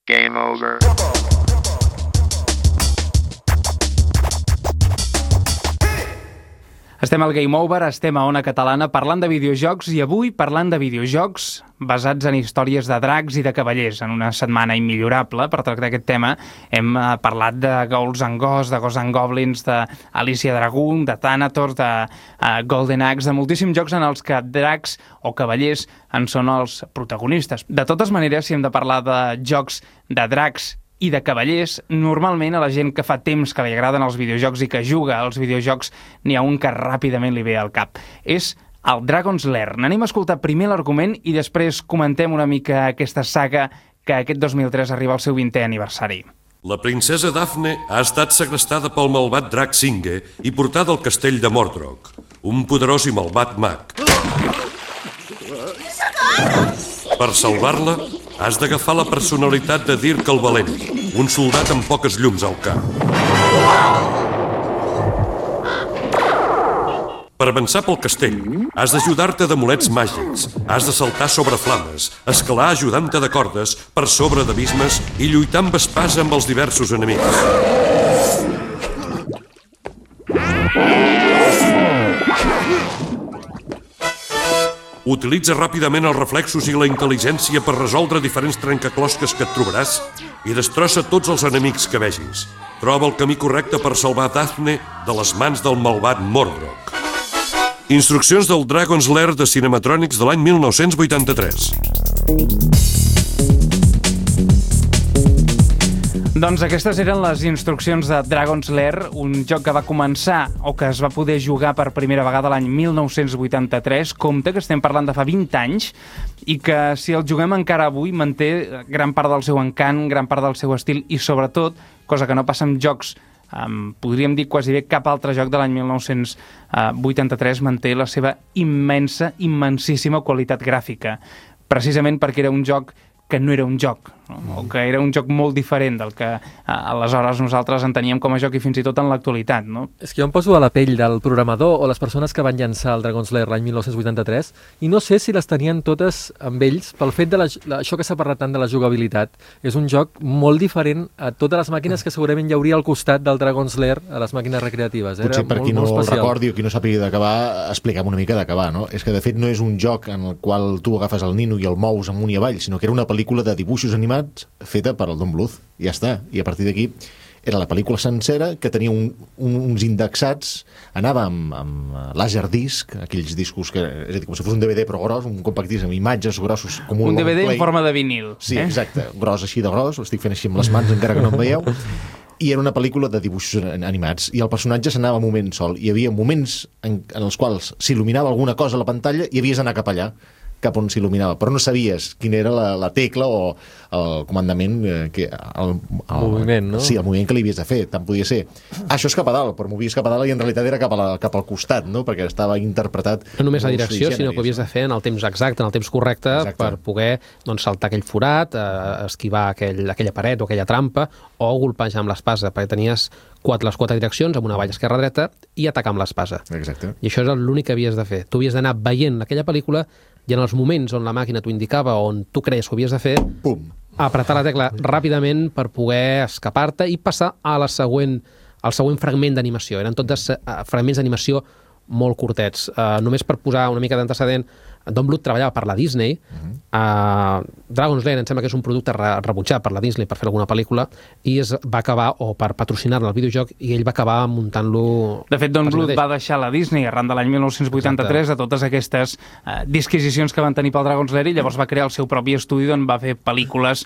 Game over. Estem al Game Over, estem a Ona Catalana parlant de videojocs i avui parlant de videojocs basats en històries de dracs i de cavallers. En una setmana immillorable per tractar aquest tema hem parlat de Ghouls and Ghosts, de Ghosts and Goblins, d'Alicia Dragoon, de Thanatos, de Golden Axe, de moltíssims jocs en els que dracs o cavallers en són els protagonistes. De totes maneres, si hem de parlar de jocs de dracs i de cavallers, normalment a la gent que fa temps que li agraden els videojocs i que juga als videojocs n'hi ha un que ràpidament li ve al cap. És el Dragon's Lair. N'anem a escoltar primer l'argument i després comentem una mica aquesta saga que aquest 2003 arriba al seu 20è aniversari. La princesa Daphne ha estat segrestada pel malvat drac Singe i portada al castell de Mordrog, un poderós i malvat mag. Per salvar-la, has d'agafar la personalitat de Dirk el Valent, un soldat amb poques llums al cap. Per avançar pel castell, has d'ajudar-te d'amulets màgics, has de saltar sobre flames, escalar ajudant-te de cordes per sobre d'abismes i lluitar amb espasa amb els diversos enemics. Utilitza ràpidament els reflexos i la intel·ligència per resoldre diferents trencaclosques que et trobaràs i destrossa tots els enemics que vegis. Troba el camí correcte per salvar Daphne de les mans del malvat Mordrog. Instruccions del Dragon's Lair de Cinematronics de l'any 1983. Doncs aquestes eren les instruccions de Dragon's Lair, un joc que va començar o que es va poder jugar per primera vegada l'any 1983. Compte que estem parlant de fa 20 anys i que si el juguem encara avui manté gran part del seu encant, gran part del seu estil i sobretot, cosa que no passa amb jocs, podríem dir quasi bé cap altre joc de l'any 1983 manté la seva immensíssima qualitat gràfica, precisament perquè era un joc que no era un joc, no? O que era un joc molt diferent del que aleshores nosaltres enteníem com a joc i fins i tot en l'actualitat, no? És que jo em poso a la pell del programador o les persones que van llançar el Dragon's Lair l'any 1983 i no sé si les tenien totes amb ells pel fet de això que s'ha parlat tant de la jugabilitat. És un joc molt diferent a totes les màquines que segurament hi hauria al costat del Dragon's Lair a les màquines recreatives. Potser per qui no el recordi o qui no sàpiga d'acabar, expliquem una mica d'acabar, no? És que de fet no és un joc en el qual tu agafes el nino i el mous amunt i avall, sinó que era una pel·lícula de dibuixos animats feta per el Don Bluth, i ja està. I a partir d'aquí era la pel·lícula sencera que tenia uns indexats, anava amb laserdisc, aquells discos que, és a dir, com si fos un DVD però gros, un compact disc amb imatges grossos com un DVD en forma de vinil. Sí, exacte, gros així de gros, ho estic fent així amb les mans encara que no em veieu. I era una pel·lícula de dibuixos animats i el personatge s'anava un moment sol. Hi havia moments en els quals s'il·luminava alguna cosa a la pantalla i havies d'anar cap allà, cap on s'il·luminava, però no sabies quina era la tecla o el comandament, el moviment, no? Sí, el moviment que li havies de fer, tant podia ser. Això és cap a dalt, però movies cap a dalt i en realitat era cap al costat, no? Perquè estava interpretat... No només la direcció, sinó que ho havies de fer en el temps exacte, en el temps correcte, per poder saltar aquell forat, esquivar aquella paret o aquella trampa, o golpejar amb l'espasa, perquè tenies les quatre direccions, amb una valla esquerra-dreta, i atacar amb l'espasa. Exacte. I això és l'únic que havies de fer. Tu havies d'anar veient aquella pel·lícula i en els moments on la màquina t'ho indicava, on tu creies que ho havies de fer, pum, apretar la tecla ràpidament per poder escapar-te i passar al següent fragment d'animació. Eren tots fragments d'animació molt curtets. Només per posar una mica d'antecedent, Don Bluth treballava per la Disney. Dragon's Lair em sembla que és un producte rebutjat per la Disney per fer alguna pel·lícula i es va acabar, o per patrocinar-ne el videojoc, i ell va acabar muntant-lo... De fet, Don Bluth va deixar la Disney arran de l'any 1983 de totes aquestes disquisicions que van tenir pel Dragon's Lair, i llavors va crear el seu propi estudi on va fer pel·lícules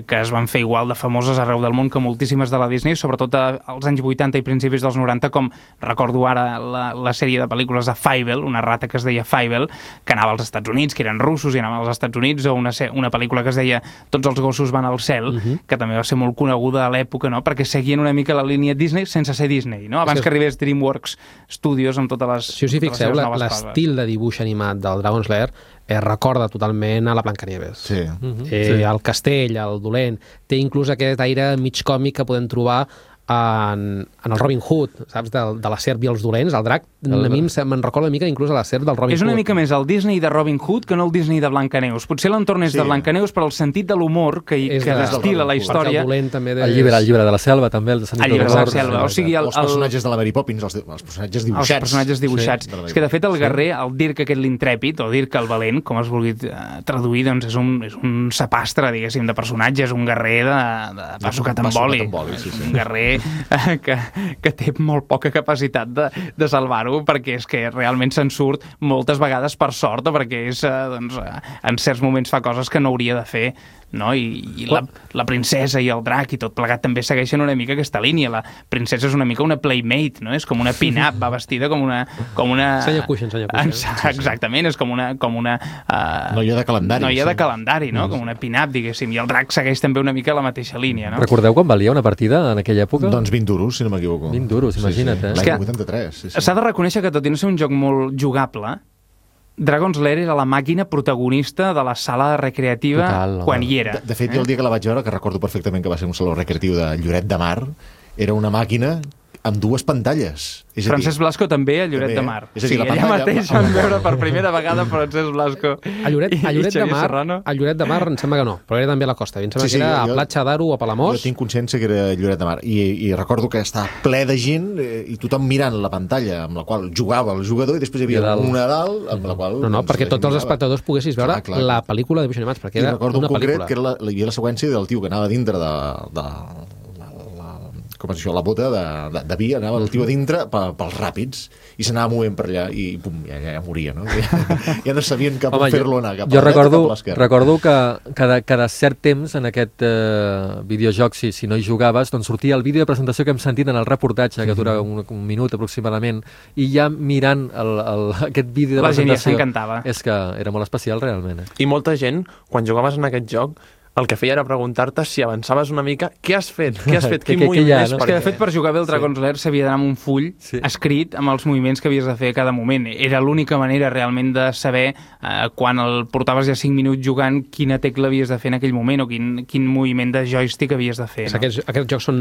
que es van fer igual de famoses arreu del món que moltíssimes de la Disney, sobretot als anys 80 i principis dels 90, com recordo ara la sèrie de pel·lícules de Fievel, una rata que es deia Fievel, que anava als Estats Units, que eren russos i anaven als Estats Units, o una pel·lícula que es deia Tots els gossos van al cel, que també va ser molt coneguda a l'època, no? Perquè seguien una mica la línia Disney sense ser Disney, no? Abans que arribés DreamWorks Studios amb totes les... Si us hi fixeu, l'estil de dibuix animat del Dragon's Lair recorda totalment a la Blancanieves. Sí. El castell, el dolent, té inclús aquest aire mig còmic que podem trobar en el Robin Hood, saps? De la serp i els dolents, el drac, a mi me'n recorda una mica inclús a la serp del Robin Hood. És una mica més el Disney de Robin Hood que no el Disney de Blancaneus. Potser l'entorn és de Blancaneus, però el sentit de l'humor que destila la història... El llibre de la selva, també, el de Sant El llibre de la selva, o sigui... Els personatges de la Mary Poppins, els personatges dibuixats. Els personatges dibuixats. És que, de fet, el guerrer, el Dirk aquest l'intrèpid, o Dirk el valent, com es vulgui traduir, doncs és un sapastre, diguéssim, de personatges, un guerrer de passo que t'emboli. Un guerrer que té molt poca capacitat de salvar-ho, perquè és que realment se'n surt moltes vegades per sort, o perquè és, en certs moments fa coses que no hauria de fer, no? I la princesa i el drac i tot plegat també segueixen una mica aquesta línia. La princesa és una mica una playmate, no? És com una pin-up, va vestida com una... Senya cuixen. Exactament, és com una noia de calendari. Noia de calendari, no? Com una pin-up, diguéssim. I el drac segueix també una mica la mateixa línia, no? Recordeu quan valia una partida en aquella època? Doncs 20 duros, si no m'equivoco. 20 duros, imagina't, L'any 83. S'ha de reconèixer que, tot i no ser un joc molt jugable, Dragon's Lair era la màquina protagonista de la sala recreativa quan hi era. De fet, jo el dia que la vaig veure, que recordo perfectament que va ser un saló recreatiu de Lloret de Mar, era una màquina amb dues pantalles. Francesc Blasco també a Lloret de Mar. És a dir, allà mateix van veure per primera vegada Francesc Blasco a Lloret de Mar em sembla que no, però era també a la costa. Em sembla que era a Platja d'Aro o a Palamós. Jo tinc consciència que era Lloret de Mar i recordo que estava ple de gent i tothom mirant la pantalla amb la qual jugava el jugador i després hi havia una dalt amb la qual... No, perquè tots els espectadors poguessis veure la pel·lícula de dibuixos animats, perquè era una pel·lícula. I recordo en concret que hi havia la seqüència del tio que anava dintre de com és això, la bota de vi, anava el tio a dintre pels ràpids i s'anava movent per allà i pum, ja moria, no? Ja no sabien cap on fer-lo anar, cap a la dreta o cap a l'esquerra. Recordo que cada cert temps en aquest videojoc, si no hi jugaves, doncs sortia el vídeo de presentació que hem sentit en el reportatge, que dura un minut aproximadament, i ja mirant aquest vídeo de presentació... La gent ja s'encantava. És que era molt especial, realment. I molta gent, quan jugaves en aquest joc, el que feia era preguntar-te si avançaves una mica què has fet, quin moviment és. És que, de fet, per jugar bé el Dragon's Lair s'havia d'anar amb un full escrit amb els moviments que havies de fer a cada moment. Era l'única manera realment de saber quan el portaves ja 5 minuts jugant quina tecla havies de fer en aquell moment o quin moviment de joystick havies de fer. Aquests jocs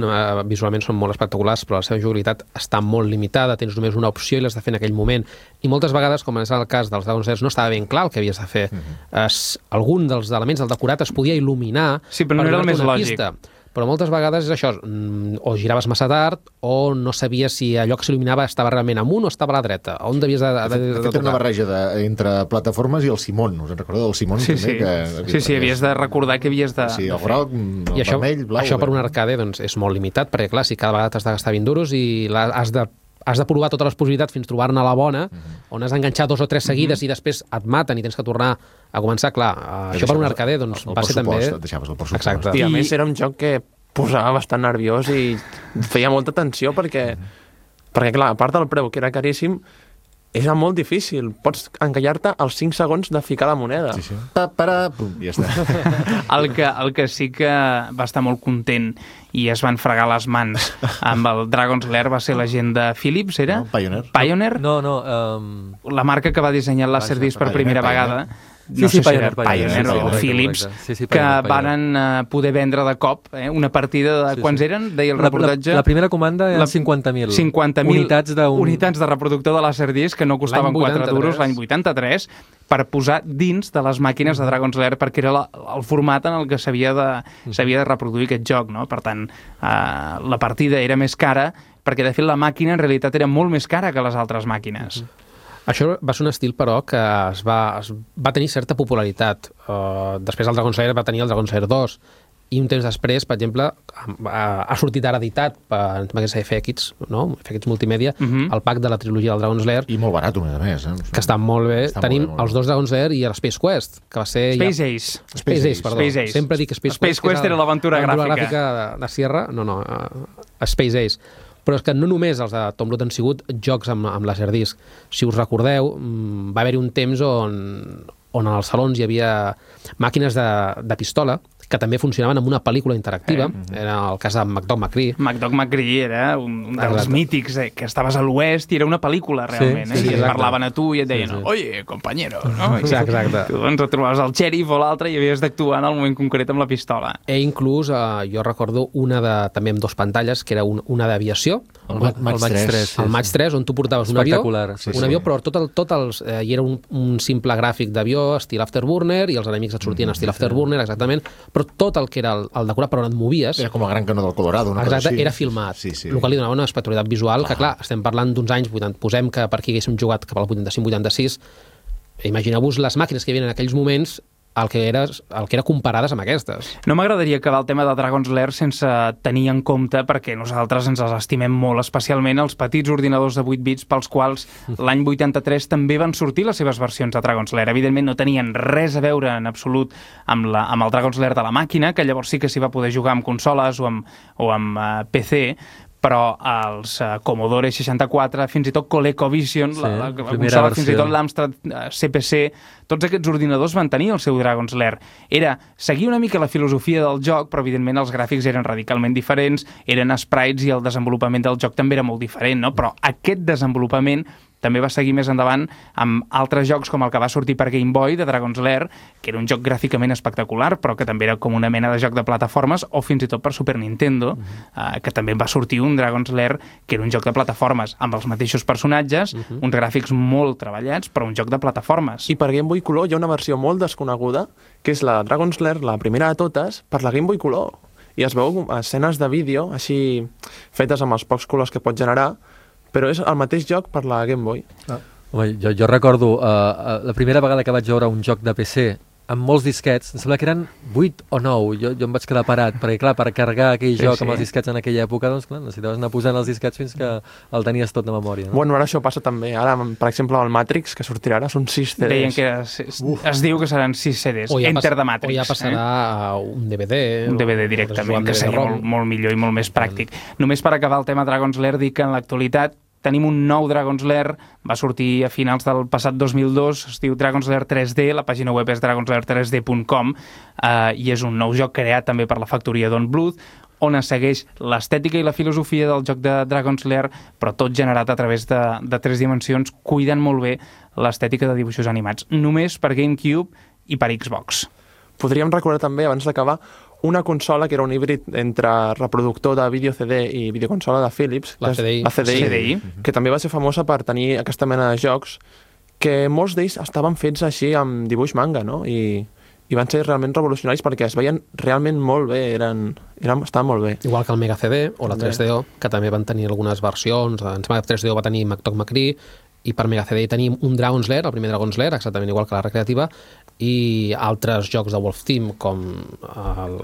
visualment són molt espectaculars, però la seva jugabilitat està molt limitada, tens només una opció i l'has de fer en aquell moment. I moltes vegades, com és el cas dels Dragon's Lair, no estava ben clar el que havies de fer. Algun dels elements del decorat es podia il·luminar però no era el més lògic. Però moltes vegades és això, o giraves massa tard o no sabies si allò que s'il·luminava estava realment amunt o estava a la dreta, on devies de tocar. Era una barreja entre plataformes i el Simon, us en recordeu del Simon? Sí, havies de recordar que havies de... Sí, el groc, el vermell, blau... Això per un arcade és molt limitat, perquè clar, si cada vegada t'has de gastar 20 duros i has de provar totes les possibilitats fins trobar-ne la bona, on has d'enganxar 2 o 3 seguides i després et maten i tens que tornar a començar. Clar, això per un arcade doncs, va ser també... Deixaves el pressupost. Exacte. I a més era un joc que posava bastant nerviós i feia molta tensió perquè clar, a part del preu, que era caríssim, era molt difícil. Pots encallar-te als 5 segons de ficar la moneda. Sí. Pum, ja està. El que sí que va estar molt content i es van fregar les mans amb el Dragon's Lair va ser la gent de Philips, era? No, Pioneer. Pioneer? No. La marca que va dissenyar el Laserdisc per primera vegada. No sé si era Pioneer o Philips, que varen poder vendre de cop una partida de... Quants eren? Deia el reportatge. La primera comanda eren 50.000. 50.000 unitats de reproductor de Laserdisc que no costaven 4 duros l'any 83 per posar dins de les màquines de Dragon's Lair perquè era el format en el que s'havia de reproduir aquest joc, no? Per tant, la partida era més cara perquè, de fet, la màquina en realitat era molt més cara que les altres màquines. Això va ser un estil, però, que va tenir certa popularitat. Després el Dragon's Lair va tenir el Dragon's Lair 2, i un temps després, per exemple, ha sortit ara editat per FX, no? FX Multimèdia, el pack de la trilogia del Dragon's Lair. I molt barat, a més. Que està molt bé. Tenim els 2 Dragon's Lair i l'Space Quest, que va ser... Space Ace. Space Ace, perdó. Sempre dic Space Quest. Space Quest era l'aventura gràfica. De Sierra. No, Space Ace. Però és que no només els de Tom Bluth han sigut jocs amb Laserdisc. Si us recordeu, va haver-hi un temps on en els salons hi havia màquines de pistola que també funcionaven amb una pel·lícula interactiva. Era el cas de McDog McCree. McDog McCree era un dels mítics, que estaves a l'oest i era una pel·lícula, realment. Sí, I et parlaven a tu i et deien, oye, compañero, no? Exacte. Tu doncs et trobaves el xèrif o l'altre i havies d'actuar en el moment concret amb la pistola. Inclús, jo recordo també amb 2 pantalles, que era una d'aviació, El Maig 3. el Maig 3, on tu portaves un avió, però hi era un simple gràfic d'avió, estil Afterburner, i els enemics et sortien estil Afterburner, exactament, però tot el que era el decorat per on et movies... Era com el Gran Canó del Colorado. Exacte, era filmat, el qual li donava una espectacularitat visual, que clar, estem parlant d'uns anys 80, posem que per aquí haguéssim jugat cap al 85-86, imagineu-vos les màquines que hi havia en aquells moments el que era comparades amb aquestes. No m'agradaria acabar el tema de Dragon's Lair sense tenir en compte, perquè nosaltres ens els estimem molt, especialment els petits ordinadors de 8 bits pels quals l'any 83 també van sortir les seves versions de Dragon's Lair. Evidentment no tenien res a veure en absolut amb el Dragon's Lair de la màquina, que llavors sí que s'hi va poder jugar amb consoles o amb PC, però els Commodore 64, fins i tot ColecoVision, la consola, fins i tot l'Amstrad CPC, tots aquests ordinadors van tenir el seu Dragon's Lair. Era seguir una mica la filosofia del joc, però evidentment els gràfics eren radicalment diferents, eren sprites i el desenvolupament del joc també era molt diferent, no? Però aquest desenvolupament també va seguir més endavant amb altres jocs com el que va sortir per Game Boy, de Dragon's Lair, que era un joc gràficament espectacular, però que també era com una mena de joc de plataformes, o fins i tot per Super Nintendo, que també va sortir un Dragon's Lair, que era un joc de plataformes, amb els mateixos personatges, uns gràfics molt treballats, però un joc de plataformes. I per Game Boy Color hi ha una versió molt desconeguda, que és la Dragon's Lair, la primera de totes, per la Game Boy Color. I es veu escenes de vídeo, així fetes amb els pocs colors que pot generar, però és el mateix joc per la Game Boy. Home, jo recordo la primera vegada que vaig veure un joc de PC amb molts disquets, em sembla que eren 8 o 9, jo em vaig quedar parat, perquè clar, per carregar aquell joc amb els disquets en aquella època, doncs clar, necessitaves anar posant els disquets fins que el tenies tot de memòria. No? Bueno, ara això passa també. Ara, per exemple, el Matrix, que sortirà ara, són 6 CDs. Deien que es diu que seran 6 CDs. Enter the Matrix. O ja passarà un DVD. Un DVD directament, que seria molt millor i molt més pràctic. Només per acabar el tema Dragon's Lair, dic que en l'actualitat tenim un nou Dragon's Lair, va sortir a finals del passat 2002, es diu Dragon's Lair 3D, la pàgina web és dragonslair3d.com, i és un nou joc creat també per la factoria Don Bluth, on es segueix l'estètica i la filosofia del joc de Dragon's Lair, però tot generat a través de 3 dimensions, cuidant molt bé l'estètica de dibuixos animats, només per GameCube i per Xbox. Podríem recordar també, abans d'acabar, una consola que era un híbrid entre reproductor de vídeo CD i videoconsola de Philips, la CDI, que també va ser famosa per tenir aquesta mena de jocs, que molts d'ells estaven fets així amb dibuix manga, no? I van ser realment revolucionaris perquè es veien realment molt bé, estaven molt bé. Igual que el Mega CD o la 3DO, que també van tenir algunes versions. En Mega 3DO va tenir McDog McCree, i per Mega CD tenim un Dragon's Lair, el primer Dragon's Lair, exactament igual que la recreativa, i altres jocs de Wolf Team com el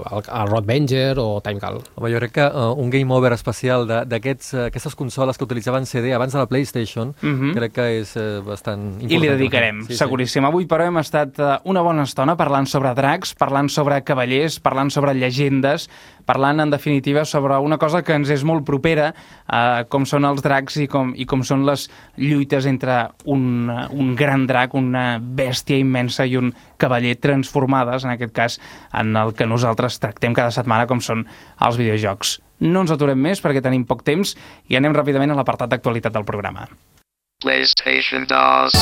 Roadvenger o Timecall. Home, jo crec que un game over especial d'aquestes consoles que utilitzaven CD abans de la PlayStation, crec que és bastant important. I li dedicarem, seguríssim. Avui, però, hem estat una bona estona parlant sobre dracs, parlant sobre cavallers, parlant sobre llegendes, parlant, en definitiva, sobre una cosa que ens és molt propera, com són els dracs i com són les lluites entre un gran drac, una bèstia immensa i un cavaller transformades, en aquest cas, en el que nosaltres tractem cada setmana, com són els videojocs. No ens aturem més perquè tenim poc temps i anem ràpidament a l'apartat d'actualitat del programa. PlayStation 2.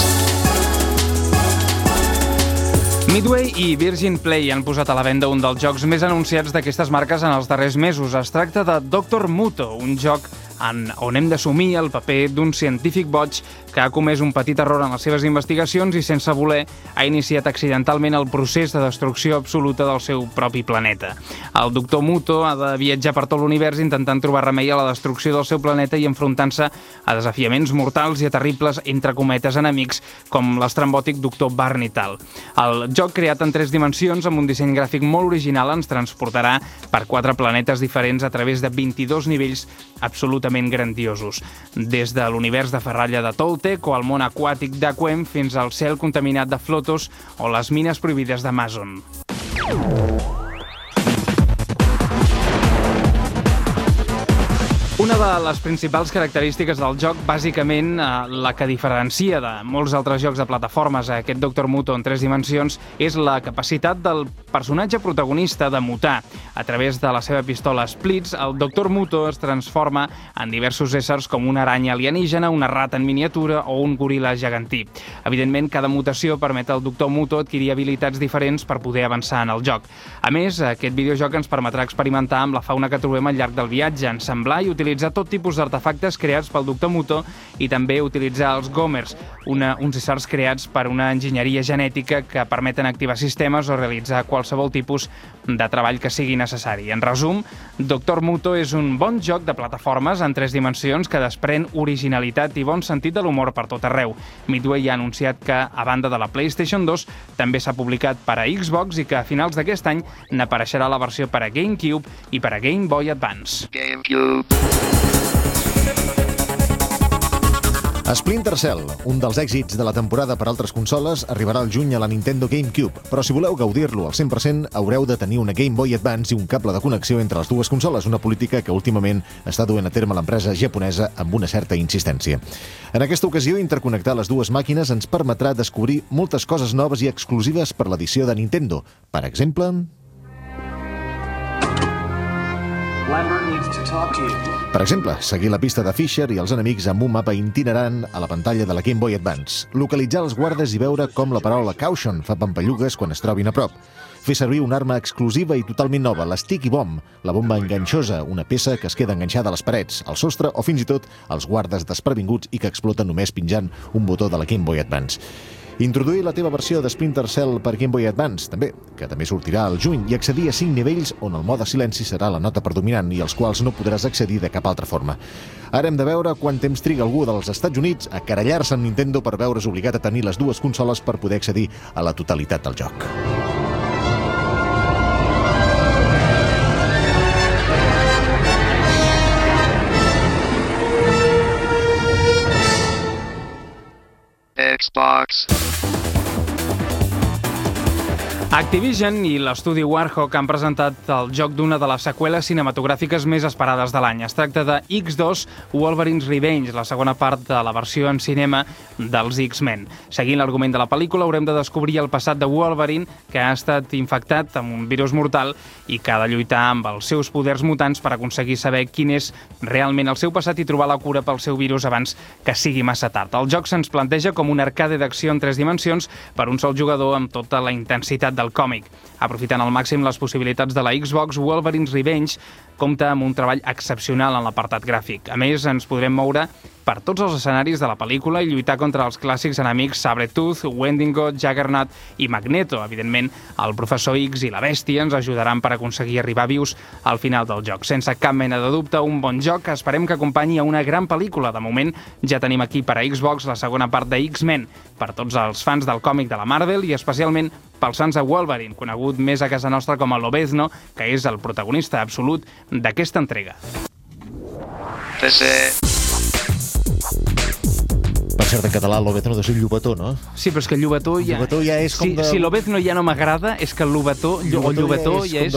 Midway i Virgin Play han posat a la venda un dels jocs més anunciats d'aquestes marques en els darrers mesos. Es tracta de Dr. Muto, un joc on hem d'assumir el paper d'un científic boig que ha comès un petit error en les seves investigacions i, sense voler, ha iniciat accidentalment el procés de destrucció absoluta del seu propi planeta. El Dr. Muto ha de viatjar per tot l'univers intentant trobar remei a la destrucció del seu planeta i enfrontant-se a desafiaments mortals i a terribles, entre cometes, enemics com l'estrambòtic Dr. Barnital. El joc, creat en 3 dimensions amb un disseny gràfic molt original, ens transportarà per 4 planetes diferents a través de 22 nivells absolutament grandiosos. Des de l'univers de ferralla de Toltec o el món aquàtic d'Aquem fins al cel contaminat de Flotos o les mines prohibides d'Amazon. Una de les principals característiques del joc, bàsicament la que diferencia de molts altres jocs de plataformes a aquest Dr. Muto en 3 dimensions, és la capacitat del personatge protagonista de mutar. A través de la seva pistola Splits, el Dr. Muto es transforma en diversos éssers com una aranya alienígena, una rata en miniatura o un goril·la gegantí. Evidentment, cada mutació permet al Dr. Muto adquirir habilitats diferents per poder avançar en el joc. A més, aquest videojoc ens permetrà experimentar amb la fauna que trobem al llarg del viatge, ensamblar i utilitzar tot tipus d'artefactes creats pel Dr. Muto i també utilitzar els Gomers, uns éssers creats per una enginyeria genètica que permeten activar sistemes o realitzar qualsevol tipus de treball que sigui necessari. En resum, Dr. Muto és un bon joc de plataformes en 3 dimensions que desprèn originalitat i bon sentit de l'humor per tot arreu. Midway ha anunciat que, a banda de la PlayStation 2, també s'ha publicat per a Xbox i que a finals d'aquest any n'apareixerà la versió per a GameCube i per a Game Boy Advance. Splinter Cell, un dels èxits de la temporada per altres consoles, arribarà al juny a la Nintendo GameCube, però si voleu gaudir-lo al 100% haureu de tenir una Game Boy Advance i un cable de connexió entre les dues consoles, una política que últimament està duent a terme l'empresa japonesa amb una certa insistència. En aquesta ocasió, interconnectar les dues màquines ens permetrà descobrir moltes coses noves i exclusives per l'edició de Nintendo. Per exemple... Per exemple, seguir la pista de Fisher i els enemics amb un mapa itinerant a la pantalla de la Game Boy Advance. Localitzar els guardes i veure com la paraula Caution fa pampallugues quan es trobin a prop. Fer servir una arma exclusiva i totalment nova, la Sticky Bomb, la bomba enganxosa, una peça que es queda enganxada a les parets, al sostre o fins i tot als guardes desprevinguts i que explota només pinjant un botó de la Game Boy Advance. Introduir la teva versió de Splinter Cell per Game Boy Advance, que també sortirà al juny, i accedir a 5 nivells on el mode silenci serà la nota predominant i als quals no podràs accedir de cap altra forma. Ara hem de veure quant temps triga algú dels Estats Units a querellar-se amb Nintendo per veure's obligat a tenir les dues consoles per poder accedir a la totalitat del joc. Xbox. Activision i l'estudi Warhawk han presentat el joc d'una de les seqüeles cinematogràfiques més esperades de l'any. Es tracta de X2 Wolverine's Revenge, la segona part de la versió en cinema dels X-Men. Seguint l'argument de la pel·lícula, haurem de descobrir el passat de Wolverine, que ha estat infectat amb un virus mortal i que ha de lluitar amb els seus poders mutants per aconseguir saber quin és realment el seu passat i trobar la cura pel seu virus abans que sigui massa tard. El joc se'ns planteja com un arcade d'acció en 3 dimensions per un sol jugador amb tota la intensitat del còmic. Aprofitant al màxim les possibilitats de la Xbox, Wolverine's Revenge compta amb un treball excepcional en l'apartat gràfic. A més, ens podrem moure per tots els escenaris de la pel·lícula i lluitar contra els clàssics enemics Sabretooth, Wendigo, Juggernaut i Magneto. Evidentment, el Professor X i la Bèstia ens ajudaran per aconseguir arribar vius al final del joc. Sense cap mena de dubte, un bon joc que esperem que acompanyi a una gran pel·lícula. De moment, ja tenim aquí per a Xbox la segona part de X-Men, per tots els fans del còmic de la Marvel i especialment pels fans de Wolverine, conegut més a casa nostra com a Lobezno, que és el protagonista absolut d'aquesta entrega. Per cert, en català, Lobezno deu ser llobató, no? Sí, però és que Llobató ja... Llobató ja és com de... Si Lobezno ja no m'agrada, és que el Llobató ja és com de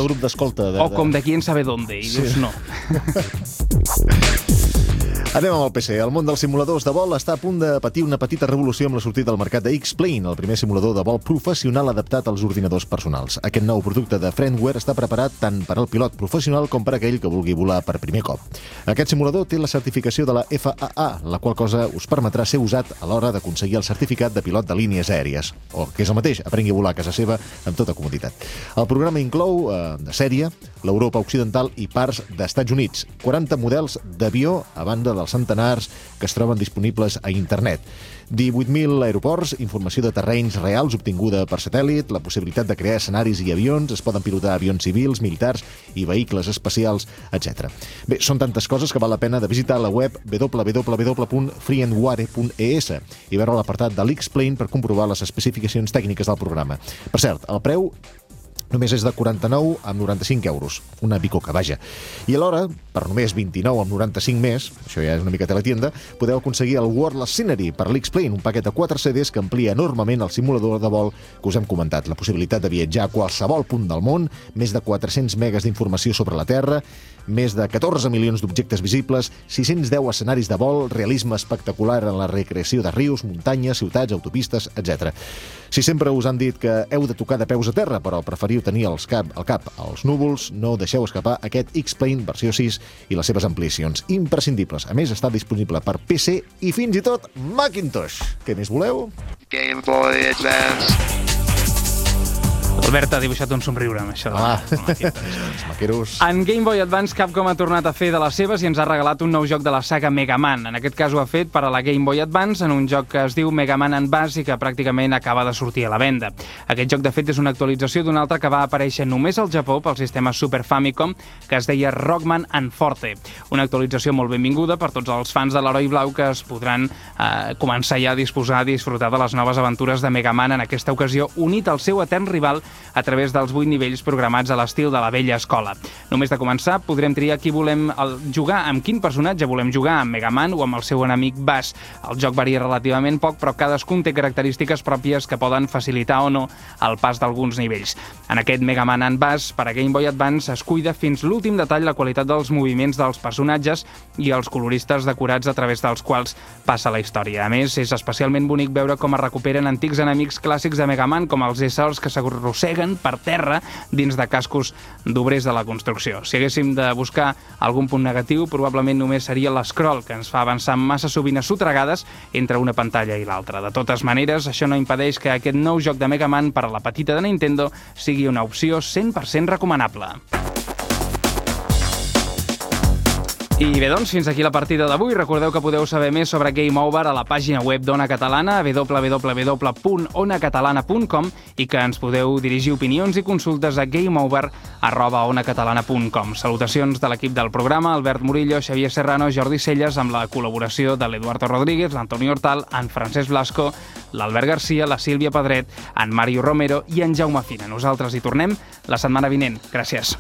grup d'escolta. O com de quién sabe dónde, i dius no. Anem amb el PC. El món dels simuladors de vol està a punt de patir una petita revolució amb la sortida al mercat de X-Plane, el primer simulador de vol professional adaptat als ordinadors personals. Aquest nou producte de Friendware està preparat tant per al pilot professional com per aquell que vulgui volar per primer cop. Aquest simulador té la certificació de la FAA, la qual cosa us permetrà ser usat a l'hora d'aconseguir el certificat de pilot de línies aèries, o, que és el mateix, aprengui a volar a casa seva amb tota comoditat. El programa inclou, de sèrie, l'Europa Occidental i parts d'Estats Units, 40 models d'avió a banda dels centenars que es troben disponibles a internet. 18.000 aeroports, informació de terrenys reals obtinguda per satèl·lit, la possibilitat de crear escenaris i avions, es poden pilotar avions civils, militars i vehicles espacials, etc. Bé, són tantes coses que val la pena de visitar la web www.freeandware.es i veure l'apartat de l'X-Plane per comprovar les especificacions tècniques del programa. Per cert, el preu només és de 49 amb 95 euros. Una bicoca, vaja. I alhora, per només 29 amb 95 més, això ja és una mica teletienda, podeu aconseguir el Wordless Scenery per l'X-Plane, un paquet de 4 CDs que amplia enormement el simulador de vol que us hem comentat. La possibilitat de viatjar a qualsevol punt del món, més de 400 megas d'informació sobre la Terra, més de 14 milions d'objectes visibles, 610 escenaris de vol, realisme espectacular en la recreació de rius, muntanyes, ciutats, autopistes, etc. Si sempre us han dit que heu de tocar de peus a terra, però preferiu tenir al cap als núvols, no deixeu escapar aquest X-Plane versió 6 i les seves ampliacions imprescindibles. A més, està disponible per PC i fins i tot Macintosh. Què més voleu? Game Boy Advance. Albert ha dibuixat un somriure amb això. Els maqueros. En Game Boy Advance, Capcom ha tornat a fer de les seves i ens ha regalat un nou joc de la saga Mega Man. En aquest cas ho ha fet per a la Game Boy Advance en un joc que es diu Mega Man Bass i que pràcticament acaba de sortir a la venda. Aquest joc, de fet, és una actualització d'un altre que va aparèixer només al Japó pel sistema Super Famicom, que es deia Rockman and Forte. Una actualització molt benvinguda per tots els fans de l'Heroi Blau que es podran començar ja a disposar a disfrutar de les noves aventures de Mega Man, en aquesta ocasió unit al seu etern rival a través dels 8 nivells programats a l'estil de la vella escola. Només de començar podrem triar qui volem jugar, amb quin personatge volem jugar, amb Mega Man o amb el seu enemic Bass. El joc varia relativament poc, però cadascun té característiques pròpies que poden facilitar o no el pas d'alguns nivells. En aquest Mega Man and Bass, per a Game Boy Advance, es cuida fins l'últim detall la qualitat dels moviments dels personatges i els coloristes decorats a través dels quals passa la història. A més, és especialment bonic veure com es recuperen antics enemics clàssics de Mega Man, com els éssers que s'arrosseguen per terra dins de cascos d'obrers de la construcció. Si haguéssim de buscar algun punt negatiu, probablement només seria l'escroll, que ens fa avançar massa sovint a sotregades entre una pantalla i l'altra. De totes maneres, això no impedeix que aquest nou joc de Mega Man per a la petita de Nintendo sigui una opció 100% recomanable. I bé, doncs, fins aquí la partida d'avui. Recordeu que podeu saber més sobre Game Over a la pàgina web d'Ona Catalana, www.onacatalana.com, i que ens podeu dirigir opinions i consultes a gameover@onacatalana.com. Salutacions de l'equip del programa, Albert Murillo, Xavier Serrano, Jordi Celles, amb la col·laboració de l'Eduardo Rodríguez, l'Antoni Hortal, en Francesc Blasco, l'Albert Garcia, la Sílvia Pedret, en Mario Romero i en Jaume Fina. Nosaltres hi tornem la setmana vinent. Gràcies.